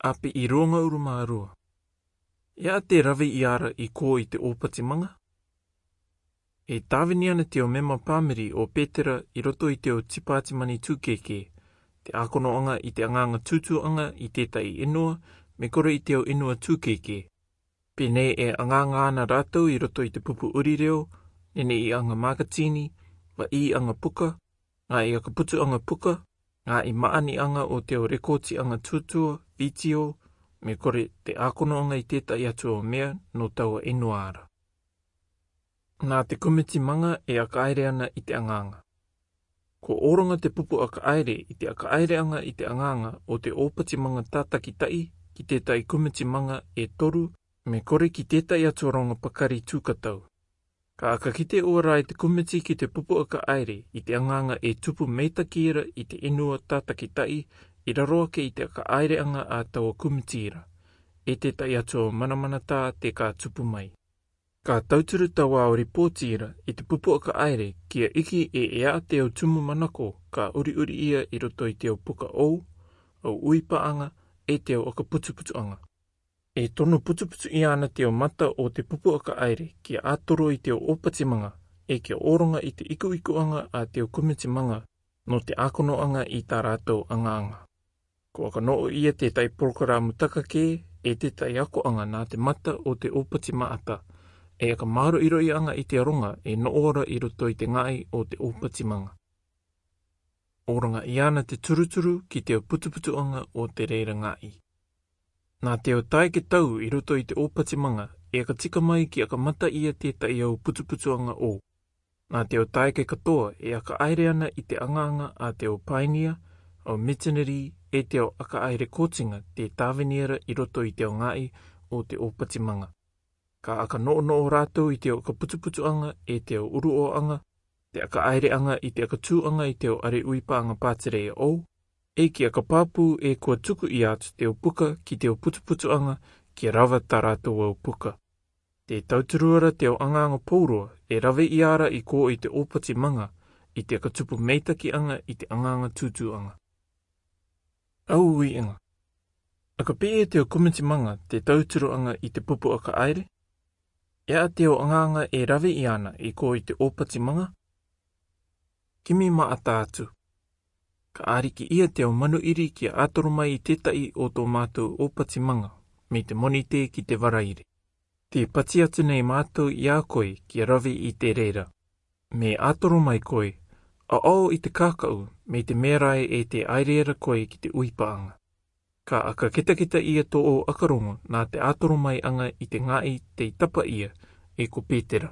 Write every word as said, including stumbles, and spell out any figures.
Api i ruanga urumārua. E a te rave i ara i kō i te ōpati maŋa? E tāvini ana te ao mema pāmiri o Pētera i roto i te ao tipātimani tūkēkē, te ākonoaŋa i te aŋaŋa tūtūaŋa i tētahi inua, me kore i te ao inua tūkēkē. Pē nei e aŋaŋa ana rātou i roto i te pupu uri reo, neneʻiaŋa makatini, vaʻīaŋa puka, ngaahi aka putuaŋa puka, ngaahi maʻaniaŋa o te ao rekōtiaŋa tūtua, vitiō, me kore te ākonoaŋa i tētahi atu ao mea nō taua inua ra. Nā te kumiti maŋa e aka aere ana i te aŋaŋa. Ko oroŋa te pupu aka aere i te aka aereaŋa i te aŋaŋa o te ōpati maŋa tātakitaʻi ki tētahi kumiti maŋa e toru, me kore ki tētahi atu aroŋa pakari tūkatau. Ka aka kite ua ra e te kumiti ki te pupu aka aere i te aŋaŋa e tupu meitaki ra i te inua tātakitaʻi i raro ake i te aka aereaŋa a taua kumiti ra, e tētahi atu ao manamanatā te ka tupu mai. Ka tauturu taua ao ripōti ra i te pupu aka aere kia iki e e a te ao tumu manako ka uriuri ia i roto i te ao puka ou, ao uipaaŋa, e te ao aka putuputuaŋa. E tono putuputu ia ana te ao mata o te pupu aka aere kia atoro i te ao ōpati maŋa, e kia oroŋa i te ikuikuaŋa a te ao kumiti maŋa nō te ākonoaŋa i tā rātou aŋaŋa. Ko aka noʻo ia tētahi porokaramu taka kē, e tētahi akoaŋa nā te mata o te ōpati maata, e aka māroiroiaŋa i te aroŋa e noʻo ra i roto i te ngaʻi o te ōpati maŋa. Oroŋa ia ana te turuturu ki te ao putuputuaŋa o te reira ngaʻi. Nā te ao tae ke tau i roto i te ōpati maŋa, e aka tika mai kia aka mata ia tētahi ao putuputuaŋa ou. Nā te ao tae ke katoa e aka aere ana i te aŋaŋa a te ao painia, ao mitinari, e te ao aka aere kōtiŋa te tāvini ra i roto i te ao ngaʻi o te ōpati maŋa. Ka aka noʻonoʻo rātou i te ao aka putuputuaŋa, e te ao uruoaŋa, te aka aereaŋa i te aka tūaŋa i te ao are uipaaŋa pātireia ou, e kia aka pāpū e kua tuku ia atu te ao puka ki te ao putuputuaŋa kia rava tā rātou ao puka. Te tauturu ra te ao aŋaŋa pou roa e rave ia ra i kō i te ōpati maŋa, i te aka tupu meitakiaŋa i te aŋaŋa tūtūaŋa. Au uiaŋa. Aka pē e te ao kumiti maŋa te tauturuaŋa i te pupu aka aere? E a te ao aŋaŋa e rave ia ana i kō i te ōpati maŋa? Kimi maata atu. Ka ariki ia te ao manuiri kia atoro mai i tētahi o tō mātou ōpati maŋa, me te Monite ki te Varaire. Te pati atu nei mātou ia koe kia rave i te reira. Me atoro mai koe, aʻao i te kākaʻu, me te mea rae e te aere ra koe ki te uipaaŋa. Ka aka kitakita ia tō ʻakarongo nā te atoro mai aŋa i te ngaʻi tei tapa ia, e ko Pētera.